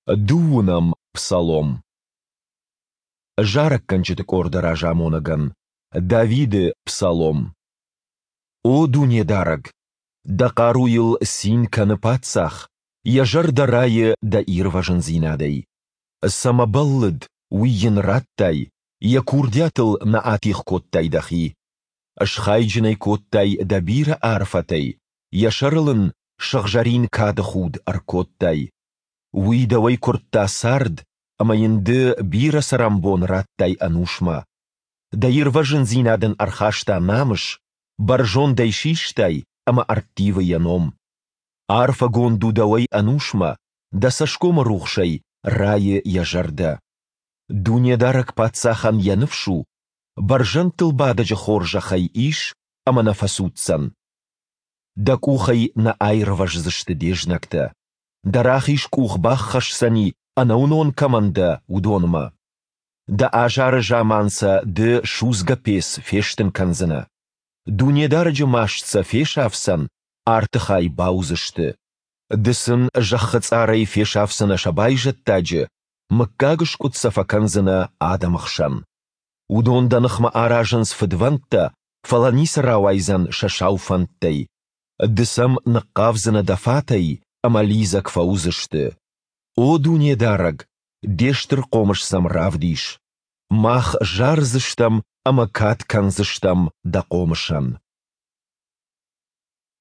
Дыууынӕм псалом. Зарӕггӕнджыты къорды разамонӕгӕн. Давиды псалом. О Дунедарӕг, Дӕ хъаруйыл цин кӕны паддзах, йӕ зӕрдӕ райы Дӕ ирвӕзындзинадӕй. Цӕмӕ бӕллыд, уый йын радтай, йӕ курдиатыл нӕ атигъ кодтай Дӕхи. Схайджын ӕй кодтай Дӕ бирӕ арфӕтӕй, йӕ сӕрыл ын сыгъзӕрин кады худ ӕркодтай. Уый дӕуӕй куырдта цард, ӕмӕ йын ды бирӕ цӕрӕнбон радтай ӕнусмӕ. Дӕ ирвӕзындзинад ын ӕрхаста намыс, бӕрзонд ӕй систай, ӕмӕ ӕрттивы йӕ ном. Арфӕгонд у дӕуӕй ӕнусмӕ, дӕ цӕсгомы рухсӕй райы йӕ зӕрдӕ. Дунедарӕг паддзахӕн йӕ ныфс у, бӕрзӕндтыл бадӕджы хорзӕх ӕй ис ӕмӕ нӕ фӕцуддзӕн. Дӕ къухӕй нӕ аирвӕздзысты де знӕгтӕ. Дӕ рахиз къух баххӕсдзӕни, ӕнӕуынон кӕмӕн дӕ, уыдонмӕ. Дӕ азары заман сӕ ды судзгӕ пец фестын кӕндзынӕ. Дунедарӕджы маст сӕ фесафдзӕн, арты хай бауыдзысты. Ды сын зӕххы цъарӕй фесафдзынӕ сӕ байзӕддаджы, мыггагыскъуыд сӕ фӕкӕндзынӕ адӕмы хсӕн. Уыдон дӕ ныхмӕ аразынц фыдвӕндтӕ, фӕлӕ ницы рауайдзӕн сӕ сау фӕндтӕй. Ды сӕм ныхъхъавдзынӕ дӕ фатӕй, ӕмӕ лидзӕг фӕуыдзысты. О Дунедарӕг, де стыр хъомыс сӕм равдис! Мах зардзыстӕм ӕмӕ кад кӕндзыстӕм дӕ хъомысӕн.